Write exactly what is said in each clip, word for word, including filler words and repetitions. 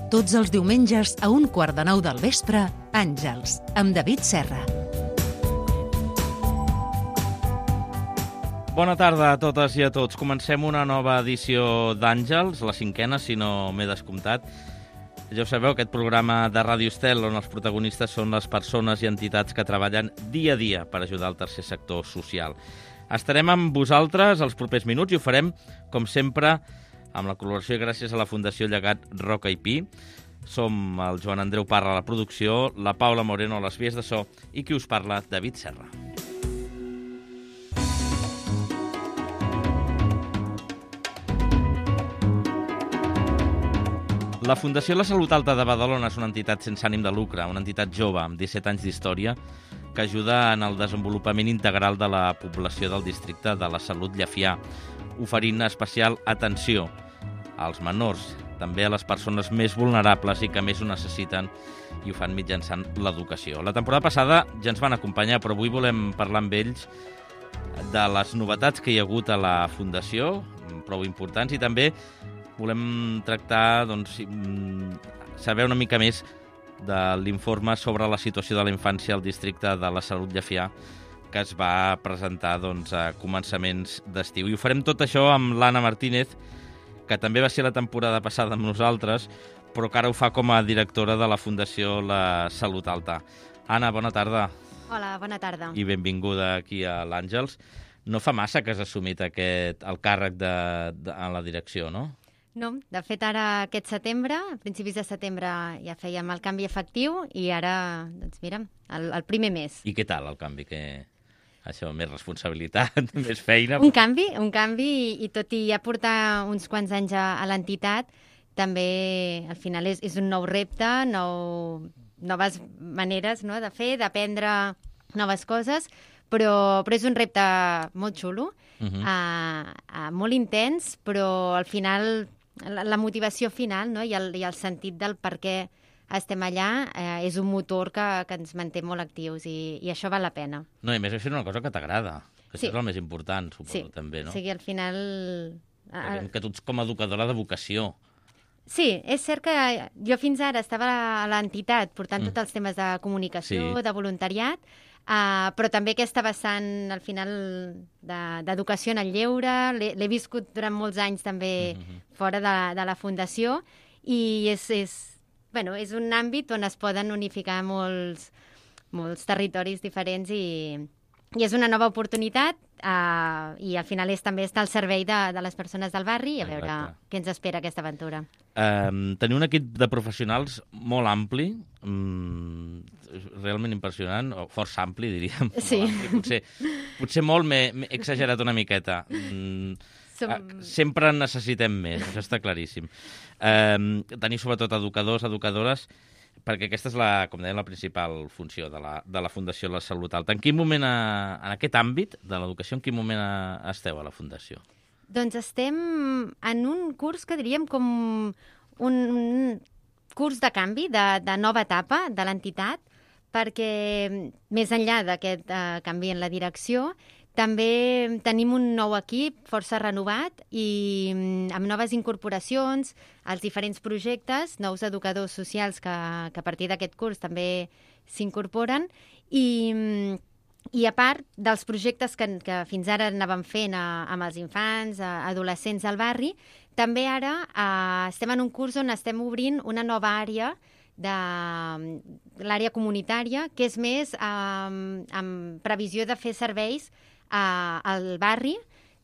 Tots els diumenges a un quart de nou del vespre, Àngels, amb David Serra. Bona tarda a totes i a tots. Comencem una nova edició d'Àngels, la cinquena, si no m'he descomptat. Ja ho sabeu, aquest programa de Ràdio Estel, on els protagonistes són les persones i entitats que treballen dia a dia per ajudar el tercer sector social. Estarem amb vosaltres els propers minuts i ho farem, com sempre, amb la col·laboració gràcies a la Fundació Llegat Roca i Pi. Som el Joan Andreu Parra a la producció, la Paula Moreno a les vies de so i qui us parla, David Serra. La Fundació La Salut Alta de Badalona és una entitat sense ànim de lucre, una entitat jove amb disset anys d'història que ajuda en el desenvolupament integral de la població del districte de la Salut Llefià, oferint especial atenció als menors, també a les persones més vulnerables i que més ho necessiten, i ho fan mitjançant l'educació. La temporada passada ja ens van acompanyar, però avui volem parlar amb ells de les novetats que hi ha hagut a la Fundació, prou importants, i també volem tractar, doncs, saber una mica més de l'informe sobre la situació de la infància al districte de la Salut Llefià, que es va presentar doncs, a començaments d'estiu. I ho farem tot això amb l'Anna Martínez, que també va ser la temporada passada amb nosaltres, però que ara ho fa com a directora de la Fundació La Salut Alta. Anna, bona tarda. Hola, bona tarda. I benvinguda aquí a l'Àngels. No fa massa que has assumit aquest, el càrrec de, de, a la direcció, no? No, de fet ara aquest setembre, a principis de setembre ja fèiem el canvi efectiu i ara, doncs mira, el, el primer mes. I què tal el canvi? Que... Això, més responsabilitat, més feina... Un canvi, un canvi, i, i tot i ja portar uns quants anys a, a l'entitat, també al final és, és un nou repte, nou, noves maneres, no?, de fer, d'aprendre noves coses, però, però és un repte molt xulo, uh -huh. uh, uh, molt intens, però al final la, la motivació final, no?, i el, i el sentit del per què estem allà, eh, és un motor que, que ens manté molt actius i, i això val la pena. No, i a més això és una cosa que t'agrada, que sí. això és el més important, suposo, sí. també, no? Sí, o sigui, al final... Perquè que tu ets com a educadora de vocació. Sí, és cert que jo fins ara estava a l'entitat portant mm. tots els temes de comunicació, sí. de voluntariat, uh, però també aquesta vessant, al final, d'educació de, en el lleure, l'he viscut durant molts anys també mm -hmm. fora de, de la Fundació, i és... és Bueno, és un àmbit on es poden unificar molts, molts territoris diferents i, i és una nova oportunitat uh, i al final és també estar al servei de, de les persones del barri i a veure Exacte. Què ens espera aquesta aventura. Um, tenir un equip de professionals molt ampli, um, realment impressionant, o força ampli, diríem. Sí. Ampli, potser, potser molt m'he exagerat una miqueta. Um, Som... Sempre en necessitem més, això està claríssim. Eh, tenir sobretot educadors, educadores, perquè aquesta és, la, com deia, la principal funció de la, de la Fundació La Salut Alta. En quin moment, a, en aquest àmbit de l'educació, en quin moment a, esteu a la Fundació? Doncs estem en un curs que diríem com un, un curs de canvi, de, de nova etapa de l'entitat, perquè més enllà d'aquest uh, canvi en la direcció, també tenim un nou equip força renovat i amb noves incorporacions als diferents projectes, nous educadors socials que, que a partir d'aquest curs també s'incorporen i, i a part dels projectes que, que fins ara anàvem fent a, amb els infants, a, adolescents al barri, també ara eh, estem en un curs on estem obrint una nova àrea de l'àrea comunitària, que és més eh, amb previsió de fer serveis Uh, al barri,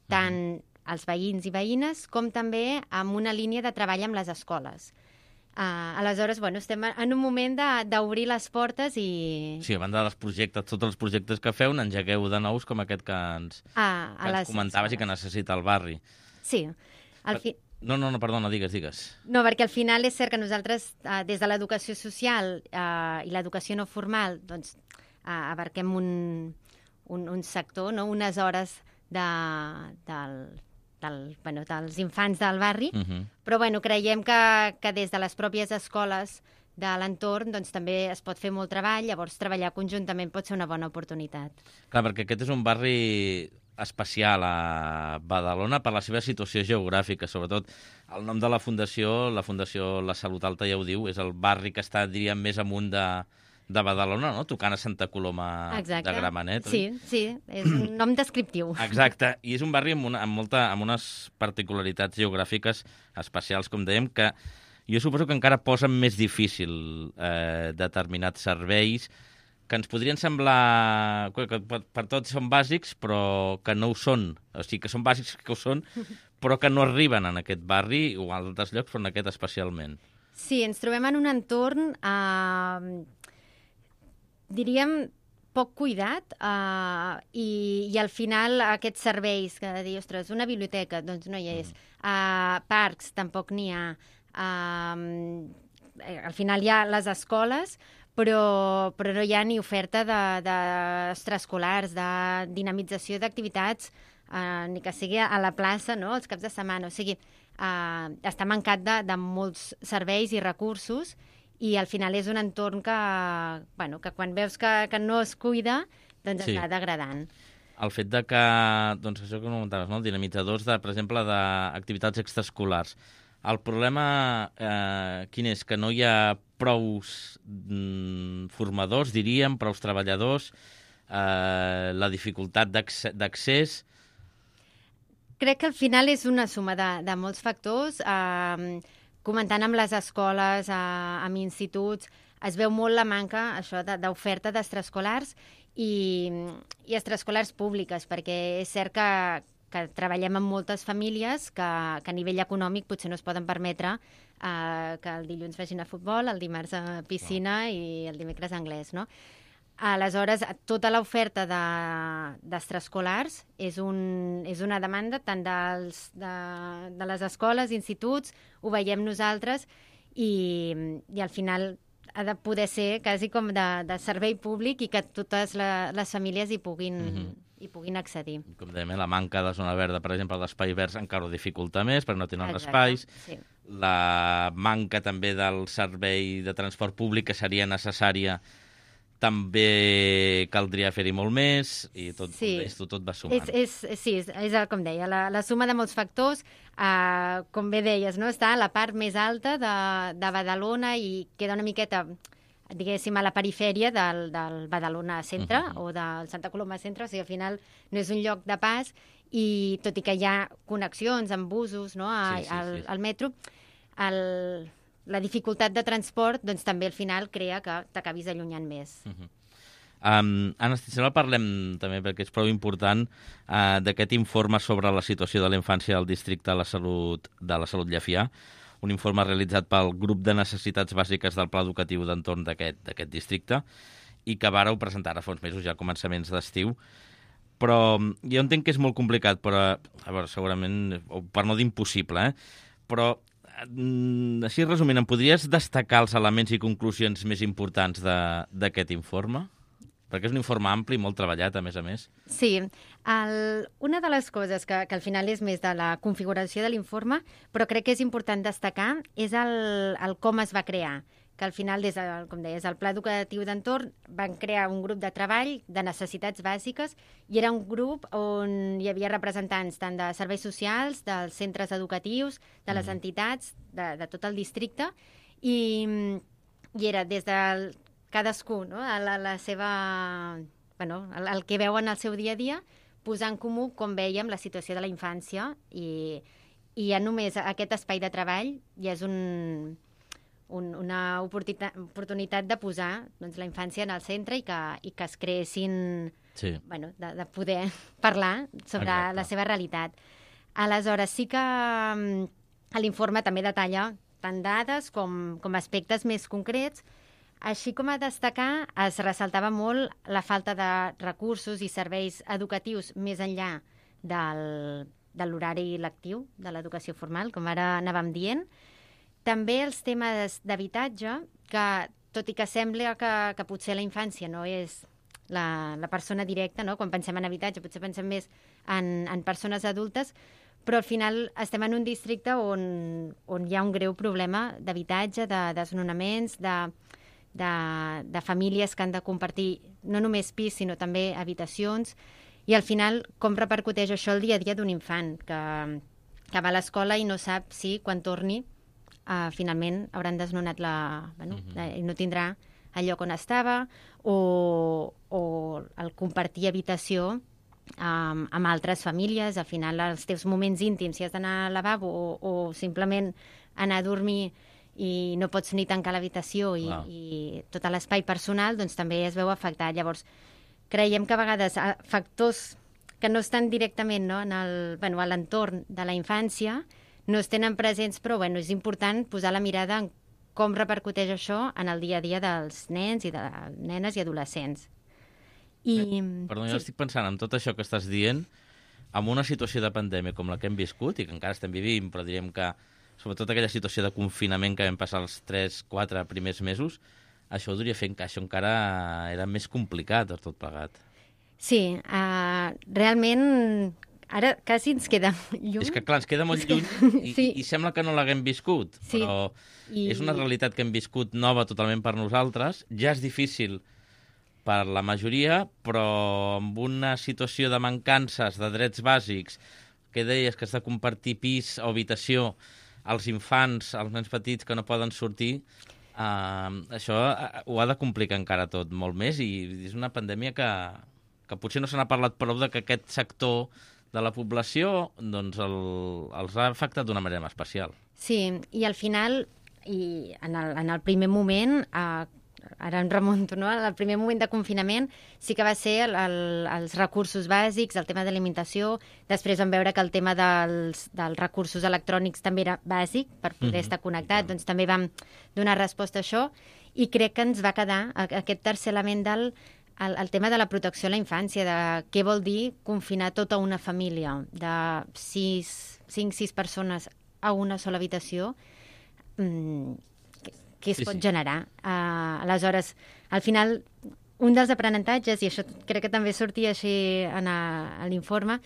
tant uh-huh. als veïns i veïnes, com també amb una línia de treball amb les escoles. Uh, aleshores, bueno, estem en un moment d'obrir les portes i... Sí, a banda dels projectes, tots els projectes que feu, n'engegueu de nous com aquest que ens, ah, que ens comentaves escoles. I que necessita el barri. Sí. Al fi... No, no, no, perdona, digues, digues. No, perquè al final és cert que nosaltres, uh, des de l'educació social uh, i l'educació no formal, doncs, uh, abarquem un... Un, un sector, no? Unes hores de, del, del, bueno, dels infants del barri, uh-huh. però bueno, creiem que, que des de les pròpies escoles de l'entorn doncs, també es pot fer molt treball, llavors treballar conjuntament pot ser una bona oportunitat. Clar, perquè aquest és un barri especial a Badalona per la seva situació geogràfica, sobretot el nom de la fundació, la Fundació La Salut Alta ja ho diu, és el barri que està, diríem, més amunt de, de Badalona, no? Tocant a Santa Coloma Exacte. de Gramenet. Sí, oi? Sí, és un nom descriptiu. Exacte, i és un barri amb, una, amb, molta, amb unes particularitats geogràfiques especials, com dèiem, que jo suposo que encara posen més difícil eh, determinats serveis que ens podrien semblar que per, per tots són bàsics, però que no ho són. O sigui, que són bàsics que ho són, però que no arriben en aquest barri o a altres llocs, però en aquest especialment. Sí, ens trobem en un entorn, eh, diríem, poc cuidat eh, i, i al final aquests serveis que dir, ostres, una biblioteca, doncs no hi és. Mm. Uh, parcs, tampoc n'hi ha. Uh, al final hi ha les escoles, però, però no hi ha ni oferta d'extraescolars, de, de dinamització d'activitats, uh, ni que sigui a la plaça, no?, els caps de setmana. O sigui, uh, està mancat de, de molts serveis i recursos i al final és un entorn que, bueno, que quan veus que, que no es cuida, doncs sí, està degradant. El fet de que, doncs això que comentaves, no?, dinamitzadors, de, per exemple, d'activitats extraescolars. El problema, eh, quin és? Que no hi ha prous mm, formadors, diríem, prous treballadors, eh, la dificultat d'accés. Crec que al final és una suma de, de molts factors. Eh, comentant amb les escoles, eh, amb instituts, es veu molt la manca això d'oferta d'extraescolars i, i extraescolars públiques, perquè és cert que, que treballem amb moltes famílies que, que a nivell econòmic potser no es poden permetre eh, que el dilluns vagin a futbol, el dimarts a piscina wow. i el dimecres a anglès, no? Aleshores, tota l'oferta d'extraescolars de, és, un, és una demanda tant dels, de, de les escoles, instituts, ho veiem nosaltres, i, i al final ha de poder ser quasi com de, de servei públic i que totes la, les famílies hi puguin, mm-hmm. hi puguin accedir. Com dèiem, la manca de zona verda, per exemple, d'espai verds encara ho dificulta més, perquè no tenen Exacte, espais. Sí. La manca també del servei de transport públic que seria necessària també caldria fer-hi molt més i tot, sí. tot, tot va sumant. És, és, sí, és, és com deia, la, la suma de molts factors, eh, com bé deies, no? Està a la part més alta de, de Badalona i queda una miqueta, diguéssim, a la perifèria del, del Badalona centre uh-huh. o del Santa Coloma centre, o sigui, al final no és un lloc de pas i tot i que hi ha connexions amb busos, no? a, sí, sí, al, sí. al metro, el... la dificultat de transport doncs, també al final crea que t'acabis allunyant més. Uh-huh. um, Anna, si sembla, parlem també, perquè és prou important, uh, d'aquest informe sobre la situació de la infància al districte de la salut de la Salut Llefià, un informe realitzat pel grup de necessitats bàsiques del Pla Educatiu d'entorn d'aquest districte i que vàreu presentar a fa uns mesos, ja a començaments d'estiu. Però jo entenc que és molt complicat, però a veure, segurament, per no dir impossible, eh? però així resumint, em podries destacar els elements i conclusions més importants d'aquest informe? Perquè és un informe ampli i molt treballat, a més a més. Sí. El, una de les coses que, que al final és més de la configuració de l'informe, però crec que és important destacar, és el, el com es va crear. Que al final, des del, com deies, el Pla Educatiu d'Entorn van crear un grup de treball de necessitats bàsiques i era un grup on hi havia representants tant de serveis socials, dels centres educatius, de les mm. entitats, de, de tot el districte, i, i era des de cadascú, no? a la, la seva, bueno, el, el que veuen al seu dia a dia, posar en comú com vèiem la situació de la infància i, i ja només aquest espai de treball ja és un... Un, una oportunitat, oportunitat de posar doncs, la infància en el centre i que, i que es creessin, sí. bueno, de, de poder parlar sobre Exacte. La seva realitat. Aleshores, sí que um, l'informe també detalla tant dades com, com aspectes més concrets, així com a destacar es ressaltava molt la falta de recursos i serveis educatius més enllà del, de l'horari lectiu de l'educació formal, com ara anàvem dient. També els temes d'habitatge, que tot i que sembla que, que potser la infància no és la, la persona directa, no? Quan pensem en habitatge potser pensem més en, en persones adultes, però al final estem en un districte on, on hi ha un greu problema d'habitatge, de desnonaments, de, de, de famílies que han de compartir no només pis, sinó també habitacions, i al final com repercuteix això el dia a dia d'un infant que, que va a l'escola i no sap si quan torni uh, finalment hauran desnonat la... Bueno, uh -huh. i no tindrà el lloc on estava, o, o el compartir habitació um, amb altres famílies. Al final els teus moments íntims, si has d'anar al lavabo o, o simplement anar a dormir i no pots ni tancar l'habitació i, i tot l'espai personal, doncs també es veu afectat. Llavors, creiem que a vegades factors que no estan directament, no, en el, bueno, a l'entorn de la infància no es tenen presents, però bueno, és important posar la mirada en com repercuteix això en el dia a dia dels nens i de nenes i adolescents. I... Eh, perdó, jo sí. estic pensant en tot això que estàs dient, amb una situació de pandèmia com la que hem viscut i que encara estem vivint, però diríem que sobretot aquella situació de confinament que vam passar els tres quatre primers mesos, això ho duria fer que això encara era més complicat de tot plegat. Sí, uh, realment ara quasi ens queda lluny. És que clar, ens queda molt lluny i, sí. i sembla que no l'haguem viscut, sí. però I... és una realitat que hem viscut nova totalment per nosaltres. Ja és difícil per la majoria, però amb una situació de mancances de drets bàsics, que deies que has de compartir pis o habitació, als infants, als nens petits que no poden sortir, uh, això ho ha de complicar encara tot molt més, i és una pandèmia que, que potser no se n'ha parlat prou de que aquest sector de la població doncs el, els ha afectat d'una manera especial. Sí, i al final, i en el, en el primer moment, eh, ara em remunto, no? El primer moment de confinament sí que va ser el, el, els recursos bàsics, el tema de l'alimentació. Després vam veure que el tema dels, dels recursos electrònics també era bàsic per poder mm-hmm. estar connectat, doncs també vam donar resposta a això, i crec que ens va quedar aquest tercer element del el, el tema de la protecció a la infància, de què vol dir confinar tota una família de sis, cinc, sis persones a una sola habitació, mmm, que es sí, pot sí. generar. Uh, aleshores, al final, un dels aprenentatges, i això crec que també sortia així en a, a l'informe,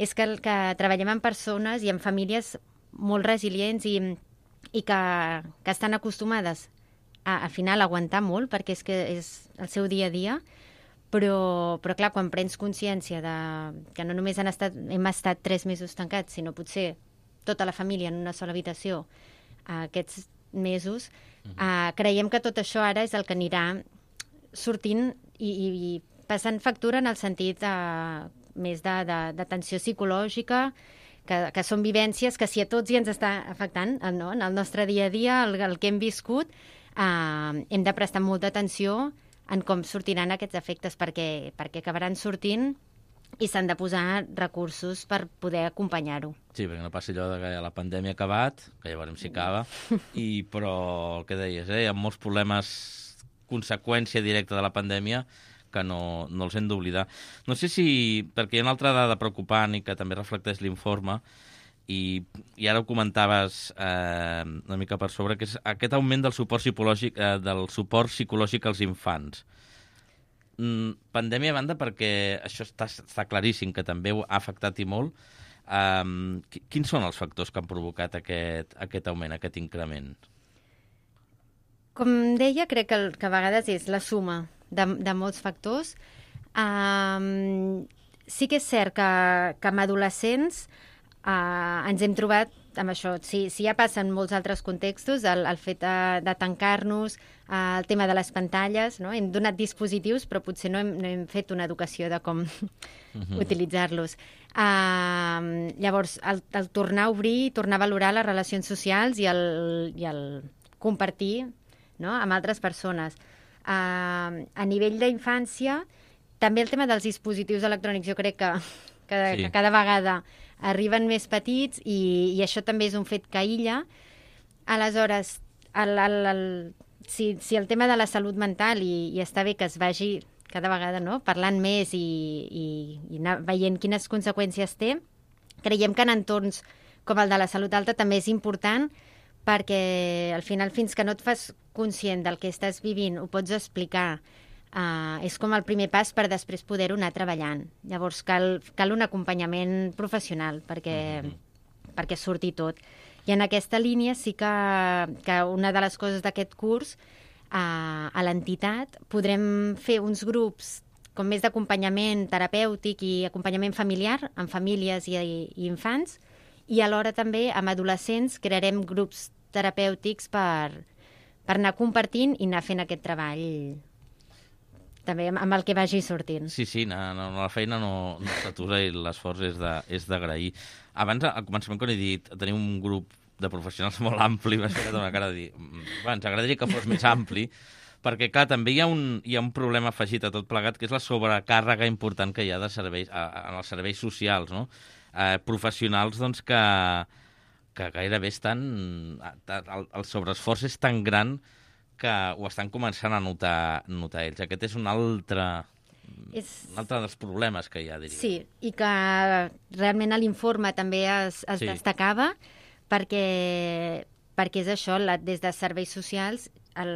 és que, el, que treballem amb persones i amb famílies molt resilients i, i que, que estan acostumades a, al final, a aguantar molt, perquè és que és el seu dia a dia, però, però clar, quan prens consciència de que no només han estat, hem estat tres mesos tancats, sinó potser tota la família en una sola habitació uh, aquests mesos, Uh, creiem que tot això ara és el que anirà sortint i, i, i passant factura en el sentit uh, més de, de, de tensió psicològica, que, que són vivències que si a tots hi ens està afectant, no? En el nostre dia a dia, el, el que hem viscut, uh, hem de prestar molta atenció en com sortiran aquests efectes, perquè, perquè acabaran sortint i s'han de posar recursos per poder acompanyar-ho. Sí, perquè no passi allò de que la pandèmia ha acabat, que ja veurem si acaba, i, però el que deies, eh, hi ha molts problemes, conseqüència directa de la pandèmia, que no, no els hem d'oblidar. No sé si, perquè hi ha una altra dada preocupant i que també reflecteix l'informe, i, i ara ho comentaves eh, una mica per sobre, que és aquest augment del suport psicològic, eh, del suport psicològic als infants. Pandèmia a banda, perquè això està, està claríssim que també ha afectat i molt. Um, quins són els factors que han provocat aquest, aquest augment, aquest increment? Com deia, crec que, el, que a vegades és la suma de, de molts factors. Um, sí que és cert que, que amb adolescents uh, ens hem trobat amb això. Si, si ja passen molts altres contextos, el, el fet de, de tancar-nos, uh, el tema de les pantalles, no? Hem donat dispositius, però potser no hem, no hem fet una educació de com uh-huh. utilitzar-los. Uh, llavors, el, el tornar a obrir, tornar a valorar les relacions socials i el, i el compartir, no? Amb altres persones. Uh, a nivell d'infància, també el tema dels dispositius electrònics, jo crec que, que, sí. que cada vegada arriben més petits i, i això també és un fet que aïlla. Aleshores, el, el, el, si, si el tema de la salut mental, i, i està bé que es vagi cada vegada, no?, parlant més i, i, i anar veient quines conseqüències té, creiem que en entorns com el de la salut alta també és important, perquè al final, fins que no et fas conscient del que estàs vivint, ho pots explicar. Uh, és com el primer pas per després poder-ho anar treballant. Llavors cal, cal un acompanyament professional perquè, mm-hmm. perquè surti tot. I en aquesta línia sí que, que una de les coses d'aquest curs, uh, a l'entitat podrem fer uns grups com més d'acompanyament terapèutic i acompanyament familiar amb famílies i, i infants, i alhora també amb adolescents crearem grups terapèutics per, per anar compartint i anar fent aquest treball també amb el que vagi sortint. Sí, sí, no, no, la feina no, no s'atura i l'esforç és de- és d'agrair. Abans, al començament, quan he dit tenim un grup de professionals molt ampli, m'has ficat una cara de dir "Mm, ens agradaria que fos més ampli", perquè, clar, també hi ha, un, hi ha un problema afegit a tot plegat, que és la sobrecàrrega important que hi ha de serveis, a, a, en els serveis socials, no? Eh, professionals, doncs, que, que gairebé estan... El, el sobreesforç és tan gran que ho estan començant a notar, notar ells. Aquest és un altre, És... un altre dels problemes que hi ha, diria. Sí, i que realment a l'informe també es, es Sí. sí. destacava perquè, perquè és això, la, des de serveis socials el,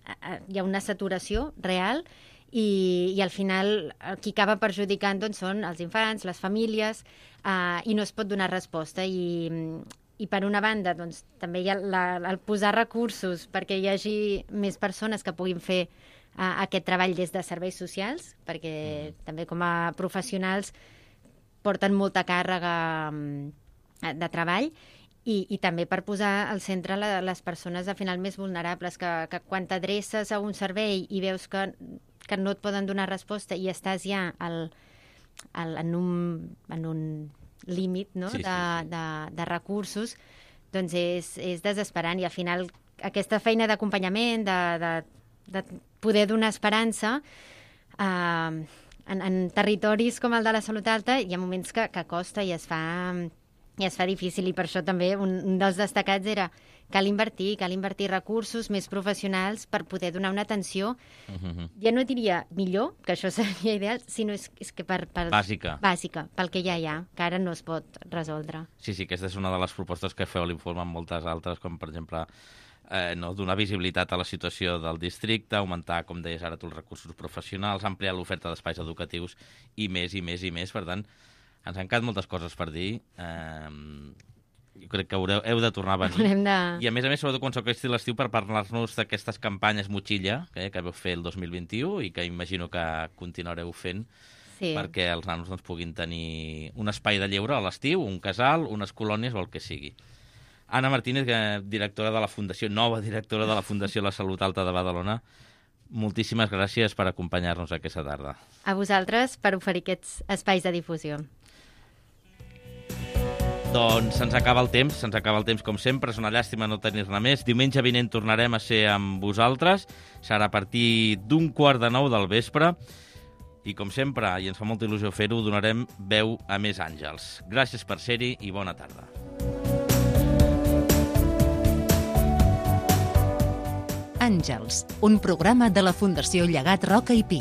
a- hi ha una saturació real i, i al final el qui acaba perjudicant doncs, són els infants, les famílies, eh, i no es pot donar resposta. I, i per una banda doncs, també hi ha la, el posar recursos perquè hi hagi més persones que puguin fer uh, aquest treball des de serveis socials, perquè mm. també com a professionals porten molta càrrega um, de treball, i, i també per posar al centre la, les persones al final més vulnerables, que, que quan t'adreces a un servei i veus que, que no et poden donar resposta i estàs ja al, al, en un, en un límit, no? Sí, sí, de, sí. de, de recursos, doncs és, és desesperant, i al final aquesta feina d'acompanyament, de, de, de poder donar esperança eh, en, en territoris com el de la salut alta, hi ha moments que, que costa i es fa i es fa difícil, i per això també un, un dels destacats era cal invertir, cal invertir recursos més professionals per poder donar una atenció, Uh-huh. ja no diria millor, que això seria ideal, sinó és, és que per, per... Bàsica. Bàsica, pel que ja hi ha, que ara no es pot resoldre. Sí, sí, aquesta és una de les propostes que feu a l'informe amb moltes altres, com per exemple eh, no, donar visibilitat a la situació del districte, augmentar, com deies ara tu, els recursos professionals, ampliar l'oferta d'espais educatius i més, i més, i més. Per tant, ens han quedat moltes coses per dir. Eh, jo crec que haureu, heu de tornar a venir. Haurem de... I a més a més, sobretot quan s'acosti l'estiu, per parlar-nos d'aquestes campanyes motxilla eh, que vau fer el dos mil vint-i-u i que imagino que continuareu fent, Sí. perquè els nanos doncs, puguin tenir un espai de lleure a l'estiu, un casal, unes colònies o el que sigui. Anna Martínez, que directora de la Fundació, nova directora de la Fundació La Salut Alta de Badalona, moltíssimes gràcies per acompanyar-nos aquesta tarda. A vosaltres per oferir aquests espais de difusió. Doncs se'ns acaba el temps, se'ns acaba el temps com sempre, és una llàstima no tenir-ne més. Diumenge vinent tornarem a ser amb vosaltres, serà a partir d'un quart de nou del vespre, i com sempre, i ens fa molta il·lusió fer-ho, donarem veu a més àngels. Gràcies per ser-hi i bona tarda. Àngels, un programa de la Fundació Llegat Roca i Pi.